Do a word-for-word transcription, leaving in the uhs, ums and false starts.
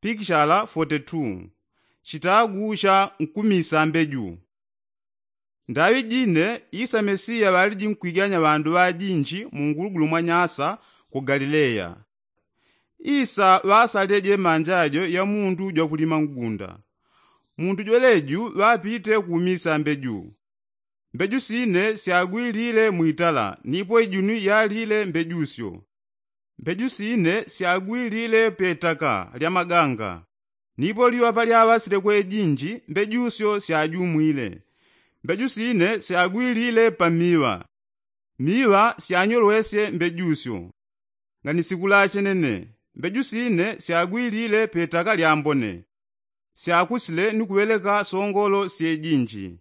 Pikishala foti tu. Chitagu cha nkumisa mbeju. Ndaŵi jine isa mesiya ŵaliji nkwiganya ŵandu ŵajinji mungulugulu mwa nyasa ku galileya. Isa ŵasalile jemanja jo ya mundu jwakulima ngunda. Mundu jweleju ŵapite kumisa mbeju. Mbeju sine syagwilile mwitala nipo ijuni yalile mbejusyo. Mbeju sine syagwilile petaka lya maganga. Nipo liŵa palyaŵasile kwe jinji mbejusyo syajumwile. Mbeju sine syagwilile pa miŵa. Miŵa syanyolwesye mbejusyo. Nga ni sikula chenene. Mbeju sine syagwilile petaka lyambone. Syakusile ni kuŵeleka songolo syejinji.